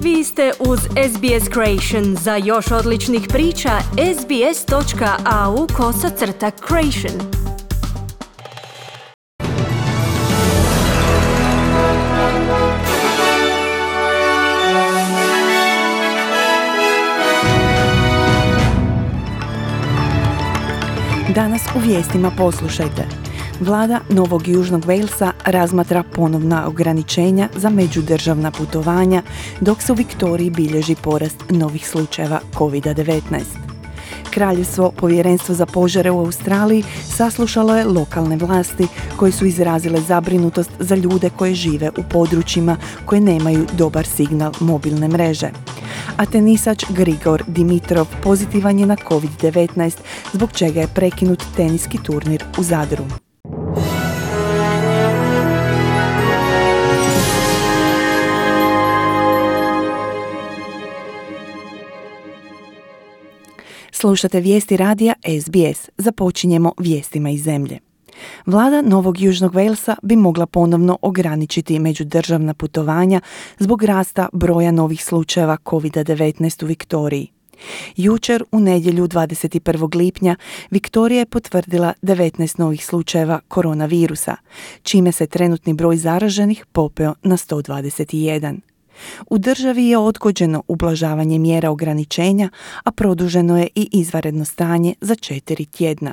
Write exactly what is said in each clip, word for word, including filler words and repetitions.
Vi ste uz S B S Creation. Za još odličnih priča, sbs.au kosacrta creation. Danas u vijestima poslušajte. Vlada Novog Južnog Walesa razmatra ponovna ograničenja za međudržavna putovanja, dok se u Viktoriji bilježi porast novih slučajeva kovid devetnaest. Kraljevstvo Povjerenstvo za požare u Australiji saslušalo je lokalne vlasti koje su izrazile zabrinutost za ljude koji žive u područjima koje nemaju dobar signal mobilne mreže. A tenisač Grigor Dimitrov pozitivan je na kovid devetnaest, zbog čega je prekinut teniski turnir u Zadru. Slušate vijesti radija S B S. Započinjemo vijestima iz zemlje. Vlada Novog Južnog Walesa bi mogla ponovno ograničiti međudržavna putovanja zbog rasta broja novih slučajeva kovid devetnaest u Viktoriji. Jučer, u nedjelju dvadeset prvog lipnja, Viktorija je potvrdila devetnaest novih slučajeva koronavirusa, čime se trenutni broj zaraženih popeo na sto dvadeset jedan. U državi je odgođeno ublažavanje mjera ograničenja, a produženo je i izvanredno stanje za četiri tjedna.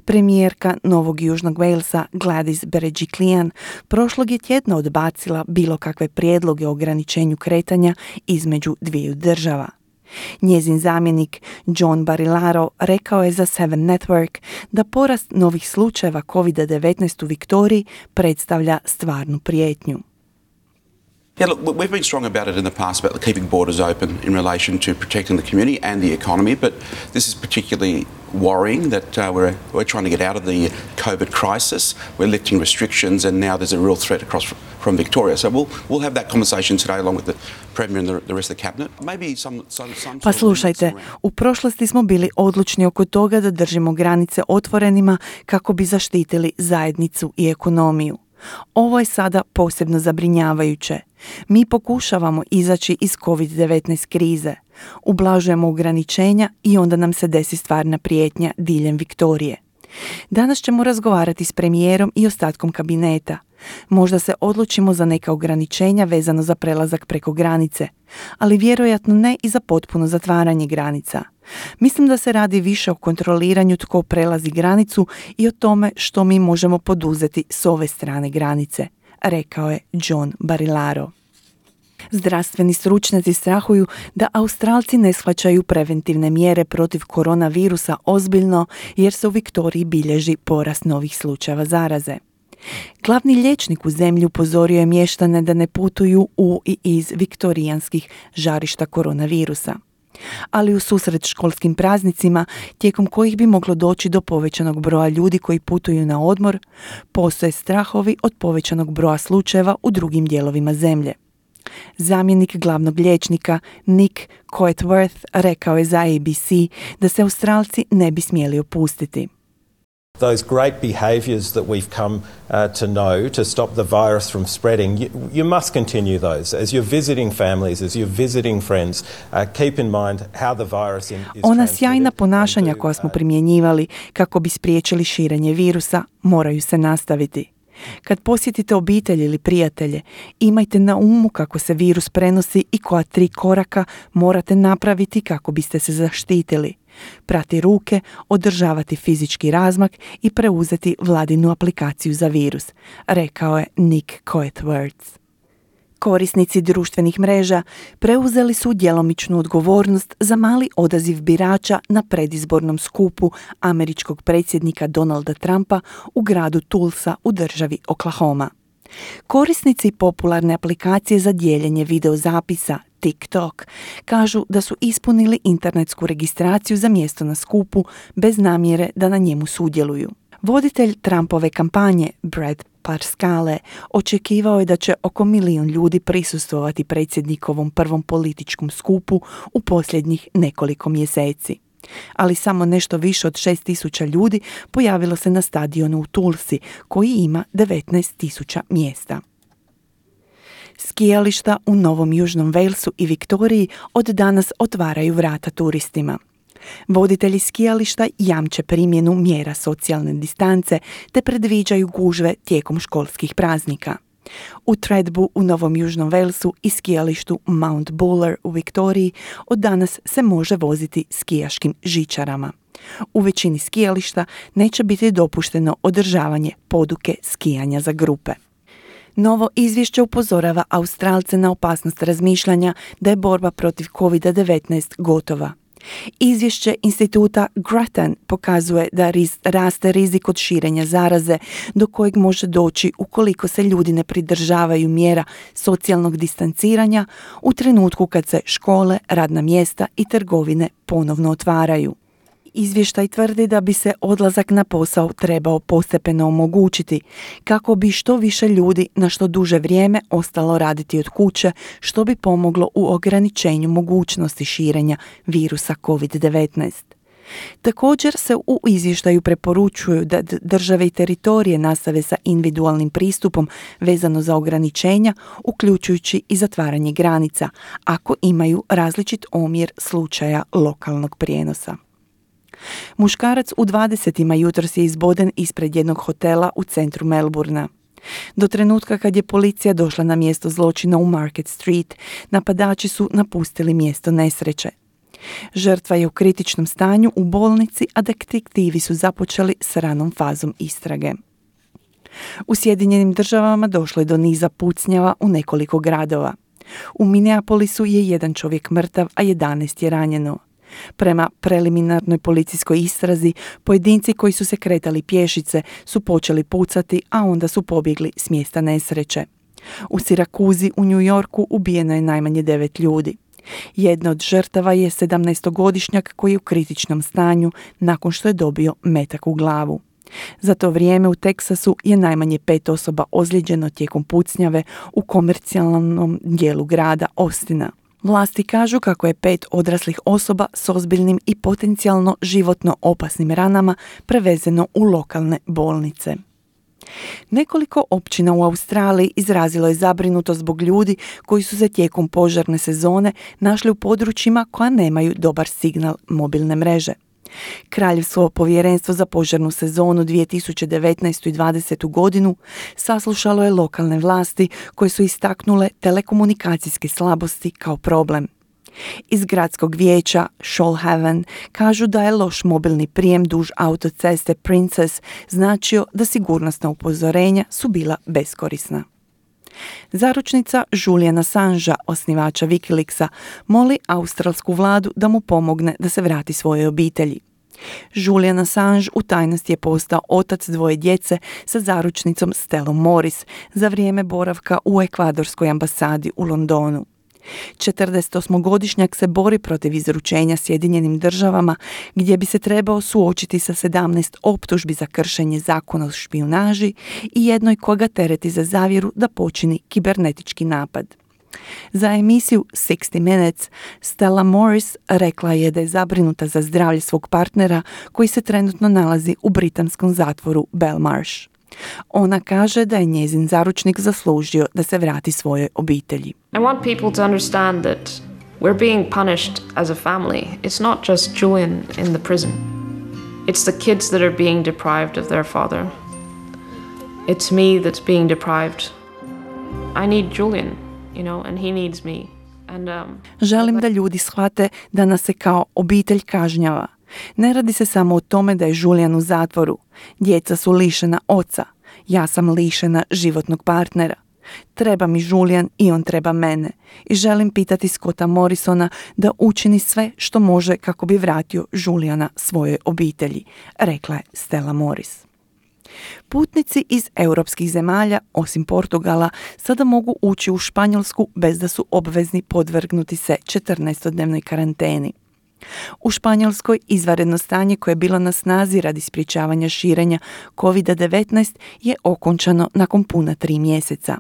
Premijerka Novog Južnog Walesa Gladys Berejiklian prošlog je tjedna odbacila bilo kakve prijedloge o ograničenju kretanja između dviju država. Njezin zamjenik John Barilaro rekao je za Seven Network da porast novih slučajeva kovid devetnaest u Viktoriji predstavlja stvarnu prijetnju. Yeah, look, we've been strong about it in the past about keeping borders open in relation to protecting the community and the economy, but this is particularly worrying that uh, we're, we're trying to get out of the COVID crisis. We're lifting restrictions and now there's a real threat across from Victoria. So we'll, we'll have that conversation today along with the Premier and the, the rest of the Cabinet. Maybe some, some, some pa slušajte, u prošlosti smo bili odlučni oko toga da držimo granice otvorenima kako bi zaštitili zajednicu i ekonomiju. Ovo je sada posebno zabrinjavajuće. Mi pokušavamo izaći iz kovid devetnaest krize, ublažujemo ograničenja i onda nam se desi stvarna prijetnja diljem Viktorije. Danas ćemo razgovarati s premijerom i ostatkom kabineta. Možda se odlučimo za neka ograničenja vezano za prelazak preko granice, ali vjerojatno ne i za potpuno zatvaranje granica. Mislim da se radi više o kontroliranju tko prelazi granicu i o tome što mi možemo poduzeti s ove strane granice, rekao je John Barilaro. Zdravstveni stručnjaci strahuju da Australci ne shvaćaju preventivne mjere protiv koronavirusa ozbiljno jer se u Viktoriji bilježi porast novih slučajeva zaraze. Glavni liječnik u zemlji upozorio je mještane da ne putuju u i iz viktorijanskih žarišta koronavirusa. Ali u susret školskim praznicima, tijekom kojih bi moglo doći do povećanog broja ljudi koji putuju na odmor, postoje strahovi od povećanog broja slučajeva u drugim dijelovima zemlje. Zamjenik glavnog liječnika Nick Coetworth rekao je za A B C da se Australci ne bi smjeli opustiti. Those great behaviours that we've come uh, to know to stop the virus from spreading, you, you must continue those. As you're visiting families, as you're visiting friends, uh, keep in mind how the virus in, is Ona sjajna ponašanja koja smo primjenjivali kako bi spriječili širenje virusa moraju se nastaviti. Kad posjetite obitelj ili prijatelje, imajte na umu kako se virus prenosi i koja tri koraka morate napraviti kako biste se zaštitili. Prati ruke, održavati fizički razmak i preuzeti vladinu aplikaciju za virus, rekao je Nick Coetworth. Korisnici društvenih mreža preuzeli su djelomičnu odgovornost za mali odaziv birača na predizbornom skupu američkog predsjednika Donalda Trumpa u gradu Tulsa u državi Oklahoma. Korisnici popularne aplikacije za dijeljenje videozapisa TikTok kažu da su ispunili internetsku registraciju za mjesto na skupu bez namjere da na njemu sudjeluju. Voditelj Trumpove kampanje Brad Parscale očekivao je da će oko milijun ljudi prisustvovati predsjednikovom prvom političkom skupu u posljednjih nekoliko mjeseci. Ali samo nešto više od šest tisuća ljudi pojavilo se na stadionu u Tulsi, koji ima devetnaest tisuća mjesta. Skijališta u Novom Južnom Walesu i Viktoriji od danas otvaraju vrata turistima. Voditelji skijališta jamče primjenu mjera socijalne distance te predviđaju gužve tijekom školskih praznika. U Thredbu u Novom Južnom Walesu i skijalištu Mount Buller u Viktoriji od danas se može voziti skijaškim žičarama. U većini skijališta neće biti dopušteno održavanje poduke skijanja za grupe. Novo izvješće upozorava Australce na opasnost razmišljanja da je borba protiv kovid devetnaest gotova. Izvješće instituta Grattan pokazuje da riz, raste rizik od širenja zaraze do kojeg može doći ukoliko se ljudi ne pridržavaju mjera socijalnog distanciranja u trenutku kad se škole, radna mjesta i trgovine ponovno otvaraju. Izvještaj tvrdi da bi se odlazak na posao trebao postepeno omogućiti kako bi što više ljudi na što duže vrijeme ostalo raditi od kuće, što bi pomoglo u ograničenju mogućnosti širenja virusa kovid devetnaest. Također se u izvještaju preporučuju da države i teritorije nastave sa individualnim pristupom vezano za ograničenja, uključujući i zatvaranje granica, ako imaju različit omjer slučaja lokalnog prijenosa. Muškarac u dvadesetima jutros je izboden ispred jednog hotela u centru Melbourna. Do trenutka kad je policija došla na mjesto zločina u Market Street, napadači su napustili mjesto nesreće. Žrtva je u kritičnom stanju u bolnici, a detektivi su započeli s ranom fazom istrage. U Sjedinjenim Državama došlo je do niza pucnjava u nekoliko gradova. U Minneapolisu je jedan čovjek mrtav, a jedanaest je ranjeno. Prema preliminarnoj policijskoj istrazi, pojedinci koji su se kretali pješice su počeli pucati, a onda su pobjegli s mjesta nesreće. U Sirakuzi u New Yorku ubijeno je najmanje devet ljudi. Jedna od žrtava je sedamnaestogodišnjak koji je u kritičnom stanju nakon što je dobio metak u glavu. Za to vrijeme u Teksasu je najmanje pet osoba ozlijeđeno tijekom pucnjave u komercijalnom dijelu grada Austina. Vlasti kažu kako je pet odraslih osoba s ozbiljnim i potencijalno životno opasnim ranama prevezeno u lokalne bolnice. Nekoliko općina u Australiji izrazilo je zabrinutost zbog ljudi koji su se tijekom požarne sezone našli u područjima koja nemaju dobar signal mobilne mreže. Kraljevsko povjerenstvo za požarnu sezonu dvije tisuće devetnaestu i dvadesetu godinu saslušalo je lokalne vlasti koje su istaknule telekomunikacijske slabosti kao problem. Iz gradskog vijeća Shoalhaven kažu da je loš mobilni prijem duž autoceste Princess značio da sigurnosna upozorenja su bila beskorisna. Zaručnica Juliana Assangea, osnivača Wikileaksa, moli australsku vladu da mu pomogne da se vrati svojoj obitelji. Julian Assange u tajnosti je postao otac dvoje djece sa zaručnicom Stellom Morris za vrijeme boravka u ekvadorskoj ambasadi u Londonu. četrdesetosmogodišnjak se bori protiv izručenja Sjedinjenim Državama, gdje bi se trebao suočiti sa sedamnaest optužbi za kršenje zakona o špijunaži i jednoj koga tereti za zavjeru da počini kibernetički napad. Za emisiju sixty minutes Stella Morris rekla je da je zabrinuta za zdravlje svog partnera koji se trenutno nalazi u britanskom zatvoru Belmarsh. Ona kaže da je njezin zaručnik zaslužio da se vrati svojoj obitelji. I want people to understand that we're being punished as a family. It's not just Julian in the prison. It's the kids that are being deprived of their father. It's me that's being deprived. I need Julian, you know, and he needs me. And um Želim da ljudi shvate da nas se kao obitelj kažnjava. Ne radi se samo o tome da je Julian u zatvoru. Djeca su lišena oca. Ja sam lišena životnog partnera. Treba mi Julian i on treba mene. I želim pitati Scotta Morrisona da učini sve što može kako bi vratio Juliana svojoj obitelji, rekla je Stella Morris. Putnici iz europskih zemalja, osim Portugala, sada mogu ući u Španjolsku bez da su obvezni podvrgnuti se četrnaestodnevnoj karanteni. U Španjolskoj izvanredno stanje koje je bilo na snazi radi sprječavanja širenja kovid devetnaest je okončano nakon puna tri mjeseca.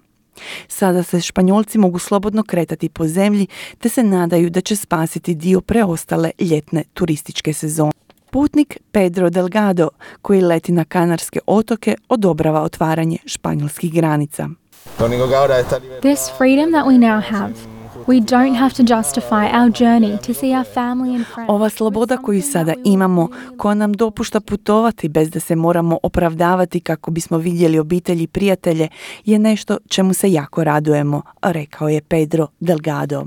Sada se Španjolci mogu slobodno kretati po zemlji te se nadaju da će spasiti dio preostale ljetne turističke sezone. Putnik Pedro Delgado, koji leti na Kanarske otoke, odobrava otvaranje španjolskih granica. This freedom that we now have, we don't have to justify our journey to see our family and friends. Ova sloboda koju sada imamo, koja nam dopušta putovati bez da se moramo opravdavati kako bismo vidjeli obitelji i prijatelje, je nešto čemu se jako radujemo, rekao je Pedro Delgado.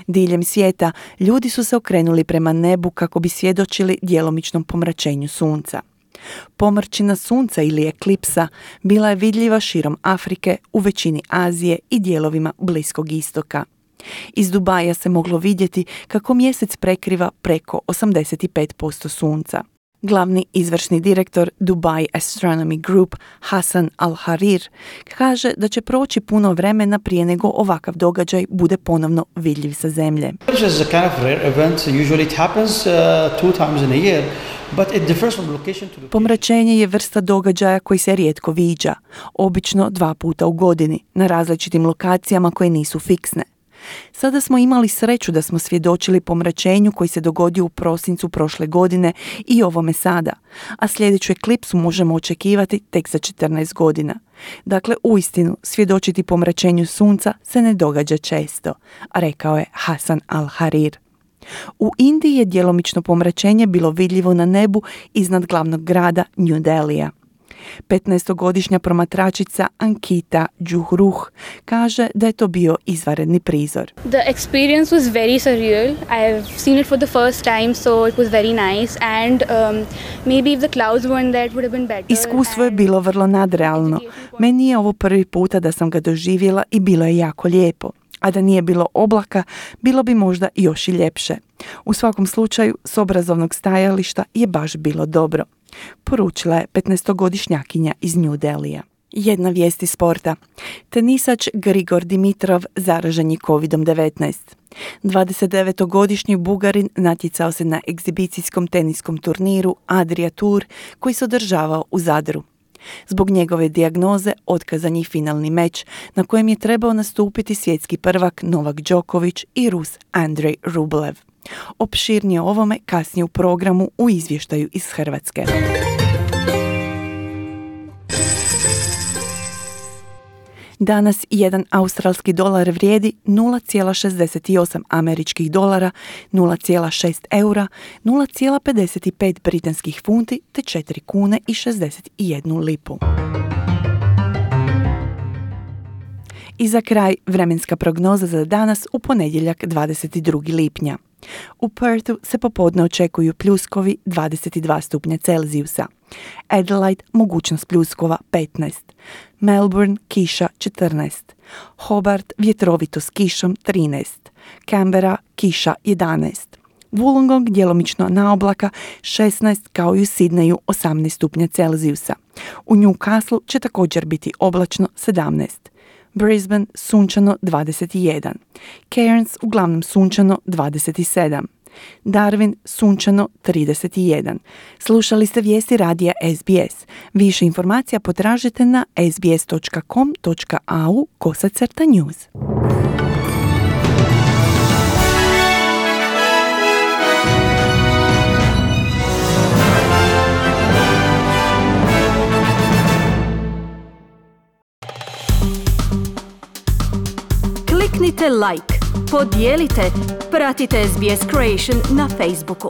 Diljem svijeta ljudi su se okrenuli prema nebu kako bi svjedočili djelomičnom pomračenju sunca. Pomrčina sunca ili eklipsa bila je vidljiva širom Afrike, u većini Azije i dijelovima Bliskog istoka. Iz Dubaja se moglo vidjeti kako mjesec prekriva preko osamdeset pet posto sunca. Glavni izvršni direktor Dubai Astronomy Group Hassan Al-Harir kaže da će proći puno vremena prije nego ovakav događaj bude ponovno vidljiv sa zemlje. Pomračenje je vrsta događaja koji se rijetko viđa, obično dva puta u godini, na različitim lokacijama koje nisu fiksne. Sada smo imali sreću da smo svjedočili pomračenju koji se dogodio u prosincu prošle godine i ovome sada, a sljedeću eklipsu možemo očekivati tek za četrnaest godina. Dakle, uistinu, svjedočiti pomračenju sunca se ne događa često, rekao je Hassan Al-Harir. U Indiji je djelomično pomračenje bilo vidljivo na nebu iznad glavnog grada New Delhija. petnaestogodišnja promatračica Ankita Juhruh kaže da je to bio izvanredni prizor. The experience was very surreal. I've seen it for the first time, so it was very nice. And um, maybe if the clouds weren't there, it would have been better. Iskustvo je bilo vrlo nadrealno. Meni je ovo prvi puta da sam ga doživjela i bilo je jako lijepo. A da nije bilo oblaka, bilo bi možda još i ljepše. U svakom slučaju, s obrazovnog stajališta je baš bilo dobro, poručila je petnaestogodišnjakinja iz New Delhija. Jedna vijest iz sporta. Tenisač Grigor Dimitrov zaražen je kovid devetnaest. dvadesetdevetogodišnji Bugarin natjecao se na egzibicijskom teniskom turniru Adria Tour koji se održavao u Zadru. Zbog njegove dijagnoze otkazan je finalni meč na kojem je trebao nastupiti svjetski prvak Novak Đoković i Rus Andrej Rublev. Opširnije o ovome kasnije u programu u izvještaju iz Hrvatske. Danas jedan australski dolar vrijedi nula zarez šezdeset osam američkih dolara, nula zarez šest eura, nula zarez pedeset pet britanskih funti te četiri kune i šezdeset jednu lipu. I za kraj vremenska prognoza za danas u ponedjeljak dvadeset drugog lipnja. U Perthu se popodne očekuju pljuskovi dvadeset dva stupnja Celzijusa. Adelaide mogućnost pljuskova petnaest. Melbourne kiša četrnaest. Hobart vjetrovito s kišom trinaest. Canberra kiša jedanaest. Wollongong djelomično na oblaka šesnaest kao i u Sidneju osamnaest stupnja Celzijusa. U Newcastle će također biti oblačno sedamnaest. Brisbane sunčano dvadeset jedan. Cairns uglavnom sunčano dvadeset sedam. Darwin sunčano trideset jedan. Slušali ste vijesti radija S B S. Više informacija potražite na sbs dot com dot a u kosacrta news. Kliknite like, podijelite, pratite S B S Creation na Facebooku.